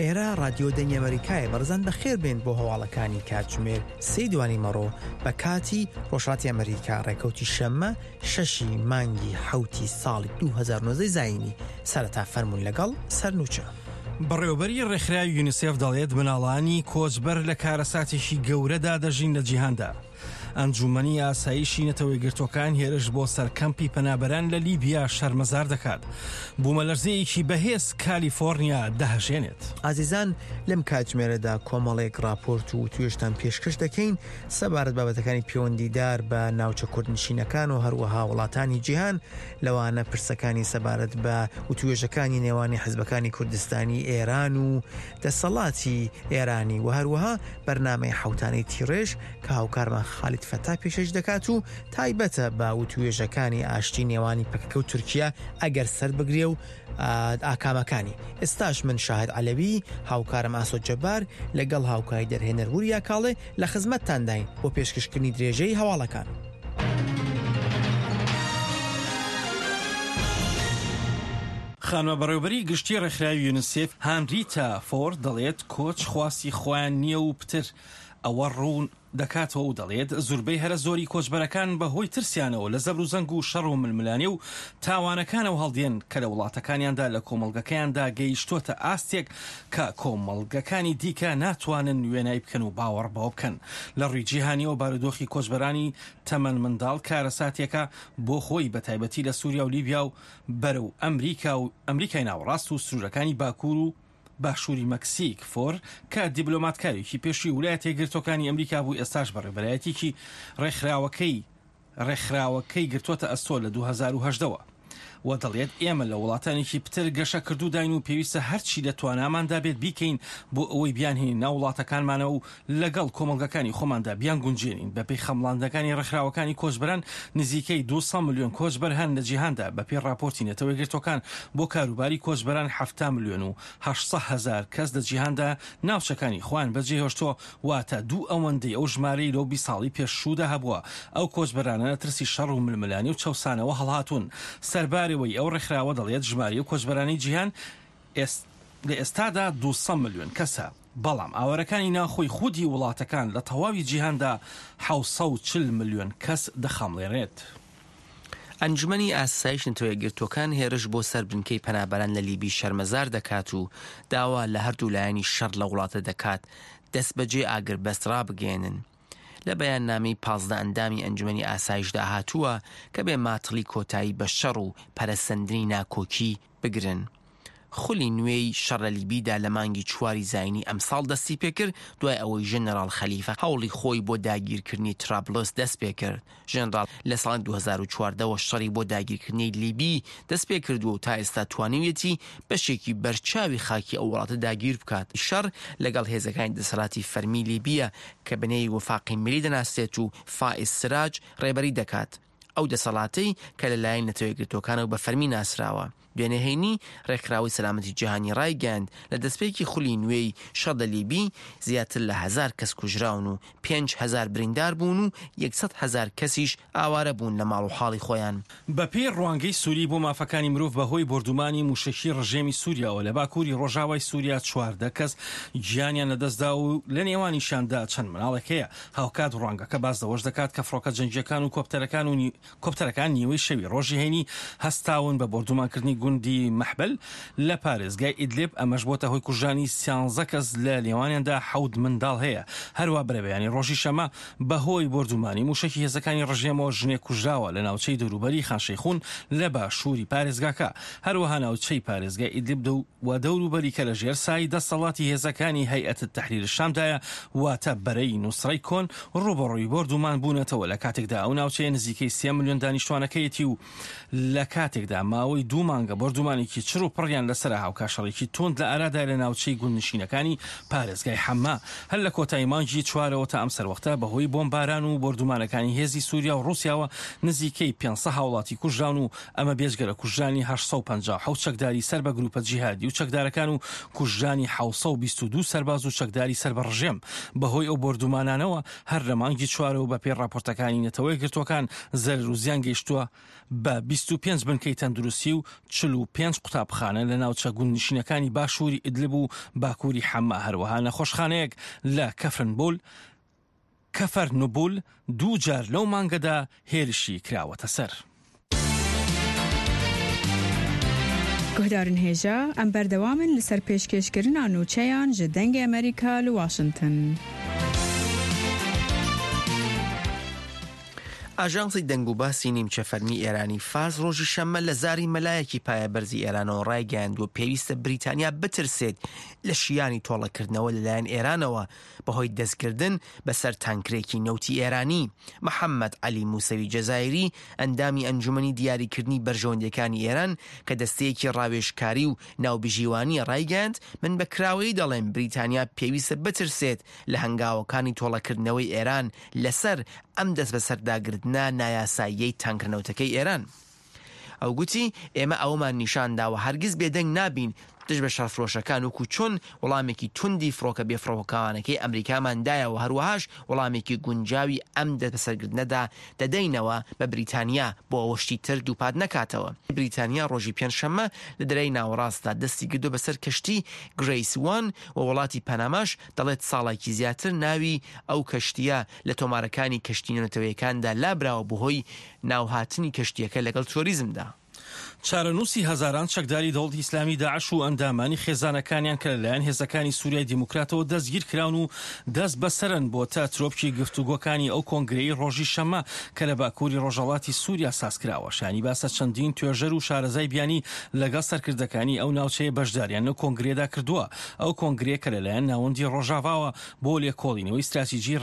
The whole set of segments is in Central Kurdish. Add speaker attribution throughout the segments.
Speaker 1: ئێرە ڕادیۆ دەنگی ئەمەریکایە بەڕێزان بەخێر بێن بۆ هەواڵەکانی کاتژمێر سێی دوانی مەڕۆ بە کاتی ڕۆژهەڵاتی ئەمەریکا ڕێکەوتی شەممە شەشی مانگی حەوتی ساڵی 2019 زایینی سەرەتا فەرموون لەگەڵ سەرنوچە.
Speaker 2: بەڕێوەبەری ڕێکخراوی یونیسێف دەڵێت مناڵانی کۆچبەر لە کارەساتێکی گەورەدا دەژین لە جیهاندا. ئەنجوومەنی ئاسایشی نەتەوەیەکگرتووەکان هێرش بۆ سەر کەمپی پەنابەران لە لیبیا شەرمەزار دەکات. بوومەلەرزەیەکی بەهێز کالیفۆرنیا دەهەژێنێت.
Speaker 1: ئازیزان لەم کاتژمێرەدا کۆمەڵێک ڕاپۆرت و وتوێژتان پێشکەش دەکەین سەبارەت بابەتەکانی پێوەندیدار بە ناوچە کوردنشینەکان و هەروەها وڵاتانی جیهان لەوانە پرسەکانی سەبارەت بە وتوێژەکانی نێوانی حزبەکانی کوردستانی ئێران و دەسەڵاتی ئێرانی و هەروەها بەرنامەی حەوتانەی تیڕێژ کە هاوکارمان خالید فەتا پێشکەش دەکات و تایبەتە بە وتوێژەکانی ئاشتی نێوانی پەکەکە و تورکیا ئەگەر سەربگرێ و ئاکامەکانی. ئێستاش من شاهد عەلەوی، هاوکارم ئاسۆ جەبار لەگەڵ هاوکاری دەرهێنەر وریا کاڵێ لە خزمەتتانداین بۆ پێشکەشکردنی درێژەی هەواڵەکان.
Speaker 2: خانمە بەڕێوبەری گشتی ڕێکخراوی یونسێف هانریتا فۆر دەڵێت کۆچ خواستی خۆیان نییە و پتر ئەوە ڕوون دەکاتەوە و دەڵێت زوربەی هەرە زۆری کۆچبەرەکان بە هۆی ترسیانەوە لە زەبروزەنگ و شەڕ و ململانێ و تاوانەکانەوە هەڵدێن کە لە وڵاتەکانیاندا لە کۆمەڵگەکەیاندا گەیشتۆتە ئاستێک کە کۆمەڵگەکانی دیکە ناتوانن وێنای بکەن و باوەڕ بەوە بکەن. لە ڕووی جیهانیەوە بارودۆخی کۆچبەرانی تەمەن منداڵ کارەساتێکە بۆ خۆی بە تایبەتی لە سوریا و لیبیا و بەرەو ئەمریکا و ئەمریکای ناوەڕاست و سنوورەکانی باکوور و باشووری مەکسیک، فۆر، کە دیبلۆماتکارێکی پێشووی ولایەتە یەکگرتووەکانی ئەمریکا بوو، ئێستاش بەڕێوەبەرایەتیی ڕێکخراوەکەی ڕێکخراوەکەی گرتووەتە ئەستۆ لە 2018 وە و دەڵێت ئێمە لە وڵاتانێکی پتر گەشەکردووداین و پێویستە هەرچی لە تواناماندا بێت بیکەین بۆ ئەوەی بیانهێنین ناو وڵاتەکانمانەوە و لەگەڵ کۆمەڵگەکانی خۆماندا بیانگونجێنین. بەپێی خەمڵاندنەکانی ڕێکخراوەکانی کۆچبەران، نزیکەی 200 ملیۆن کۆچبەر هەن لە جیهاندا، بەپێی ڕاپۆرتی نەتەوە یەکگرتووەکان بۆ کاروباری کۆچبەران 70 ملیۆن و 800 هەزار کەس لە جیهاندا ناوچەکانی خۆیان بەجێهێشتووە، واتە دوو ئەوەندەی ئەو ژمارەی لەو 20 ساڵی پێشوودا هەبووە. ئەو کۆچبەرانە لە ترسی شەڕ و ململانێ و چەوسانەوە هەڵهاتوون. سەربارەوەی ئەو ڕێکخراوە دەڵێت ژمارەی ئەو کۆچبەرانەی جیهان لە ئێستادا 200 ملیۆن کەسە. بەڵام ئاوارەکانی ناوخۆی خودی وڵاتەکان لە تەواوی جیهاندا 740 ملیۆن کەس دەخەمڵێنێت.
Speaker 3: ئەنجومەنی ئاسایش نەتەوەیەکگرتووەکان هێرش بۆ سەر بنکەی پەنابەران لە لیبی شەرمەزار دەکات و داوا لە هەردوو لایەنی شەڕ لەو وڵاتە دەکات دەستبەجێ ئاگربەست ڕابگەیەنن. لە بەیاننامەی 15 ئەندامی ئەنجومەنی ئاسایشدا هاتووە کە بێ ماتڵی کۆتایی بە شەڕ و پەرەسەندنی ناکۆکی بگرن. خولی نوێی شەڕ لە لیبیدا لە مانگی چواری زاینی ئەمساڵ دەستیپێکرد، دوای ئەوەی ژەنەراڵ خەلیفە هەوڵی خۆی بۆ داگیرکردنی ترابلس دەستپێکرد. ژەنەراڵ لە ساڵی 2014 وە شەڕی بۆ داگیرکردنی لیبی دەستپێکردووە و تا ئێستا توانیویەتی بەشێکی بەرچاوی خاکی ئەو وڵاتە داگیر بکات. شەڕ لەگەڵ هێزەکانی دەسەڵاتی فەرمی لیبییە کە بە نێوی وەفاقی میلی دەناسرێت و فائیز سراج ڕێبەری دەکات. ئەو دەسەڵاتەی کە لەلایەن نەتەوەیەکگرتووەکانەوە بە فەرمی ناسراوە. دوێنێ هەینی، ڕێکخراوەی سەلامەتی جیهانی ڕایگەیاند، لە دەستپێکی خولی نوێی شەڕ لە لیبی، زیاتر لە هەزار کەس کوژراون و 5000 بریندار بوون و 100 هەزار کەسیش ئاوارە بوون لە ماڵ و حاڵی خۆیان.
Speaker 2: بەپێی ڕوانگەی سوری بۆ مافەکانی مرۆڤ بەهۆی بۆردومانی موشەکی ڕژێمی سوریاوە لە باکوری ڕۆژاوای سوریا 14 کەس گیانیان لەدەستدا و لە نێوانیشیاندا چەند مناڵێک هەیە. هاوکات ڕوانگەکە باس لەوەش دەکات کە فڕۆکە جەنگییەکان و کۆپتەرەکان و کۆپتەرەکان نیوەی شەوی ڕۆژی هەینی هەستاون بە بۆردومانکردنی گوندی مەحبەل لە پارێزگای ئیدلیب، ئەمەش بۆتە هۆی کوژرانی سیانزە کەس لە نێوانیاندا حەوت منداڵ هەیە. هەروا بەرەبەیانی ڕۆژی شەمە بەهۆی بۆردومانی موشەکی هێزەکانی ڕژێمەوە ژنێک کوژراوە لە ناوچەی دەوروبەری خان شەیخون لە باشووری پارێزگاکە. هەروەها ناوچەی پارێزگای ئیدلیب و دەوروبەری کە لەژێر سای دەسەڵاتی هێزەکانی هەیئەت تەحریر شامدایە، واتە بەرەی نوسرەی کۆن، ڕووبەڕووی بۆردومان بوونەتەوە لە کاتێکدا ئەو ناوچەیە نزیکەی سێ ملیۆن دانیشتوانەکەیەتی و لە کاتێکدا ماوەی دوو مانگە بۆردومانێکی چڕ و پڕیان لەسەرە هاوکات شەڕێکی توند لە ئارادایە لە ناوچەی گوندنشینەکانی پارێزگای حەما هەر لە کۆتایی مانگی چوارەوە تا ئەم سەروەختە بەهۆی بۆمباران و بۆردومانەکانی هێزی سوریا و ڕوسیاوە نزیکەی 500 هاوڵاتی کوژراون و ئەمە بێجگە لە کوژرانی 857 چەکداری سەر بە گروپە جیهادی و چەکدارەکان و کوژرانی 722 سەرباز و چەکداری سەر بە ڕژێم بەهۆی ئەو بۆردومانانەوە هەر لە مانگی چوارەوە بەپێی ڕاپۆرتەکانی نەتەوە یەکگرتووەکان زەرەر و زیان گەیشتووە بە 25 بنکەی تەندروستی و 45 قوتابخانە لە ناوچە گوندنشینەکانی باشووری ئیدلب و باکووری حەما، هەروەها نەخۆشخانەیەک لە کەفرنبول کەفەرنوبول دوو جار لەو مانگەدا هێرشی کراوەتە سەر.
Speaker 4: Guhdarên hêja, em berdewam in li ser pêşkêşkirina nûçeyan ji Dengê Amerîka li Washington.
Speaker 3: ئاژانسی دەنگوباسی نیمچە فەرمی ئێرانی فارس ڕۆژی شەممە لە زاری مەلایەکی پایەبەرزی ئێرانەوە ڕایگەیاندووە پێویستە بریتانیا بترسێت لە شیانی تۆڵەکردنەوە لەلایەن ئێرانەوە بەهۆی دەستگردن بەسەر تانکرێکی نەوتی ئێرانی. محەممەد عەلی موسەوی جەزایری، ئەندامی ئەنجومەنی دیاریکردنی بەرژەوەندییەکانی ئێران کە دەستەیەکی ڕاوێژکاری و ناوبژیوانییە ڕایگەیاند، من بە کراوەیی دەڵێم بریتانیا پێویستە بترسێت لە هەنگاوەکانی تۆڵەکردنەوەی ئێران لەسەر ئەم دەستبەسەرداگرتنە نایاساییەی تانکرە نەوتەکەی ئێران. ئەو گوتی، ئێمە ئەوەمان نیشان داوە هەرگیز بێدەنگ نابین دژ بە شەڕفرۆشەکان وەکو چۆن وەڵامێکی توندی فڕۆکە بێفڕۆکەوانەکەی ئەمریکامان دایەوە هەروەهاش وەڵامێکی گونجاوی ئەم دەستبەسەرگرتنەدا دەدەینەوە بە بریتانیا بۆ ئەوە شتی تر دووپات نەکاتەوە. بریتانیا ڕۆژی پێنجشەممە لە دەریای ناوەڕاستدا دەستی گردووە بەسەر کەشتی گرەیس وان و وڵاتی پەناماش دەڵێت ساڵێکی زیاتر ناوی ئەو کەشتییە لە تۆمارەکانی کەشتی نێونەتەوەیەکاندا لابراوە بەهۆی ناوهاتنی کەشتییەکە لەگەڵ ترۆریزمدا.
Speaker 2: چارەنووسی هەزاران چەکداری دەوڵەتی ئیسلامی داعش و ئەندامانی خێزانەکانیان کە لەلایەن هێزەکانی سوریای دیموکراتەوە دەستگیرکراون و دەستبەسەرن بۆتە ترۆپکی گفتوگۆکانی ئەو کۆنگرەی ڕۆژی شەممە کە لە باکووری ڕۆژهەڵاتی سوریا سازکراوە. شایانی باسە چەندین توێژەر و شارەزای بیانی لەگەڵ سەرکردەکانی ئەو ناوچەیە بەشداریان لەو کۆنگرەیەدا کردووە. ئەو کۆنگرەیە کە لەلایەن ناوەندی ڕۆژاڤاوە بۆ لێکۆڵینەوەی ستراتیجی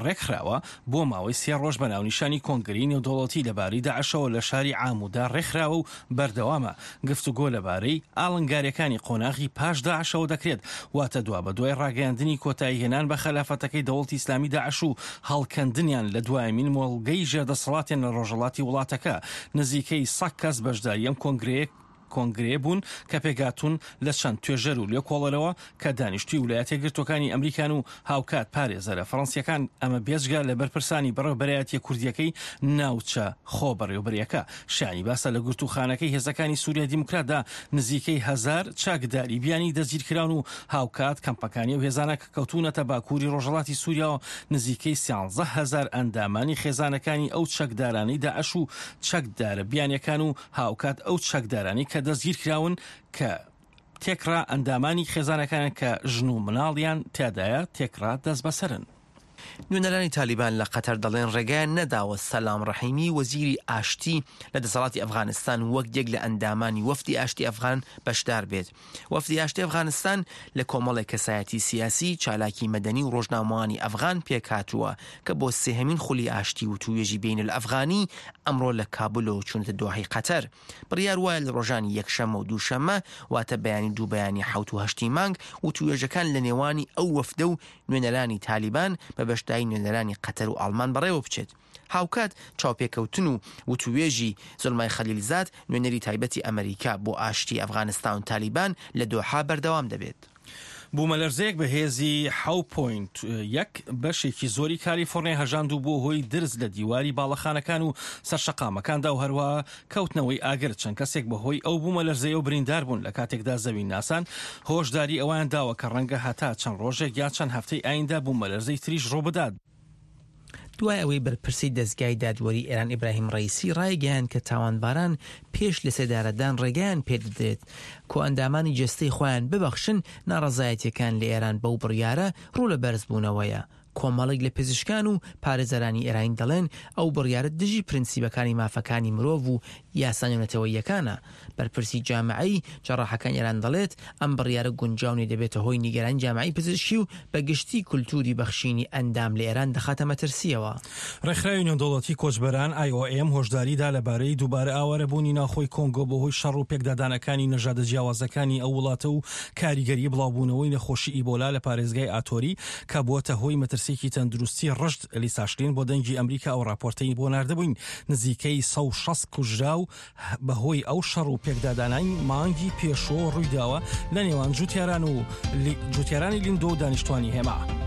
Speaker 2: ڕێکخراوە، بۆ ماوەی سێ ڕۆژ بە ناونیشانی کۆنگرەی نێودەوڵەتی لەبارەی داعشەوە لە شاری عامودا ڕێکخراوە و بەردەوامە، گفتوگۆ لەبارەی ئاڵنگارییەکانی قۆناغی پاش داعشەوە دەکرێت، واتە دوابەدوای ڕاگەیاندنی کۆتاییهێنان بە خەلافەتەکەی دەوڵەتی ئیسلامی داعش و هەڵکەندنیان لە دوایەمین مۆڵگەی ژێردەسەڵاتیان لە ڕۆژهەڵاتی وڵاتەکە. نزیکەی سەد کەس بەشداری ئەم کۆنگرەیە کۆنگرەیە بوون کە پێکهاتوون لە چەند توێژەر و لێکۆڵەرەوە کە دانیشتووی ولایەتە یەکگرتووەکانی ئەمریکان و هاوکات پارێزەرە فەڕەنسییەکان، ئەمە بێجگە لە بەرپرسانی بەڕێوەبەرایەتییە کوردییەکەی ناوچە خۆبەڕێوەبەرییەکە. شایانی باسە لە گرتووخانەکەی هێزەکانی سوریای دیموکراتدا نزیکەی هەزار چەکداری بیانی دەستگیرکراون و هاوکات کەمپەکانی ئەو هێزانە کە کەوتوونەتە باکووری ڕۆژهەڵاتی سوریاوە نزیکەی 13 هەزار ئەندامانی خێزانەکانی ئەو چەکدارانەی داعش و چەکدارە بیانییەکان و هاوکات ئەو چەکدارانەی کە دەستگیرکراون کە تێکڕا ئەندامانی خێزانەکانیان کە ژن و مناڵیان تیادایە تێکڕا دەستبەسەرن.
Speaker 3: نوێنەرانی تالیبان لە قەتەر دەڵێن ڕێگایان نەداوە سەلام ڕەحیمی وەزیری ئاشتی لە دەسەڵاتی ئەفغانستان وەک یەک لە ئەندامانی وەفدی ئاشتی ئەفغان بەشدار بێت. وەفدی ئاشتی ئەفغانستان لە کۆمەڵێک کەسایەتی سیاسی، چالاکی مەدەنی و ڕۆژنامەوانی ئەفغان پێکهاتووە کە بۆ سێهەمین خولی ئاشتی وتووێژی بەینەلئەفغانی ئەمڕۆ لە کابولەوە چوونەتە دۆحەی قەتەر. بڕیار وایە لە ڕۆژانی یەکشەممە و دووشەممە واتە بەیانی دوو بەیانی حەوت و هەشتی مانگ وتووێژەکان لە نێوانی ئەو وەفدە و نوێنەرانی تالیبان بە بەشداری نوێنەرانی قەتەر و ئاڵمان بەڕێوە بچێت. هاوکات چاوپێکەوتن و وتووێژی زلمای خەلیلزاد، نوێنەری تایبەتی ئەمەریکا بۆ ئاشتی ئەفغانستان و تالیبان لە دۆحە بەردەوام دەبێت.
Speaker 2: بوومەلەرزەیەک بە هێزی حەو پۆینت یەک بەشێکی زۆری کالیفۆرنیای هەژاند و بووە هۆی درز لە دیواری باڵەخانەکان و سەر شەقامەکاندا و هەروەها کەوتنەوەی ئاگر. چەند کەسێک بەهۆی ئەو بوومەلەرزەیەوە بریندار بوون، لە کاتێکدا زەوینناسان هۆشداری ئەوەیان داوە کە ڕەنگە هەتا چەند ڕۆژێک یا چەند هەفتەی ئایندە بوومەلەرزەی تریش ڕووبدات.
Speaker 3: دوای ئەوەی بەرپرسی دەزگای دادوەری ئێران ئیبراهیم ڕەئیسی ڕایگەیاند کە تاوانباران پێش لەسێدارەدان ڕێگەیان پێدەدرێت کۆئەندامانی جەستەی خۆیان ببەخشن، ناڕەزایەتیەکان لە ئێران بەو بڕیارە ڕوو لە بەرزبوونەوەیە. کۆمەڵێک لە پزیشکان و پارێزەرانی ئێرانی دەڵێن ئەو بڕیارە دژی پرنسیبەکانی مافەکانی مرۆڤ و یاسا نێونەتەوەییەکانە. بەرپرسی جامعەی جەڕاحەکانی ئێران دەڵێت، ئەم بڕیارە گونجاو نیە دەبێتە هۆی نیگەرانی جامعەی پزیشکی و بە گشتی کولتووری بەخشینی ئەندام لە ئێران دەخاتە مەترسییەوە.
Speaker 2: ڕێکخراوی نێودەوڵەتی کۆچبەران، IOM، هۆشداری دا لەبارەی دووبارە ئاوارەبوونی ناوخۆی کۆنگۆ بەهۆی شەڕ و پێکدادانەکانی نەژادە جیاوازەکانی ئەو وڵاتە و کاریگەری بڵاوبوونەوەی نەخۆشی ئیبۆلا لە پارێزگای ئاتۆری کە بووەتە هۆی مەترسییەکی تەندروستی ڕژد. لیسا شلین بۆ دەنگی ئەمریکا ئەو ڕاپۆرتەی بۆ ناردبووین نزیکەی 160 کوژراو بەهۆی ئەو شەڕ و پێکدادانای مانگی پێشووەوە ڕوویداوە لە نێوان جوتیاران و جوتیارانی لیندۆ و دانیشتوانی هێما.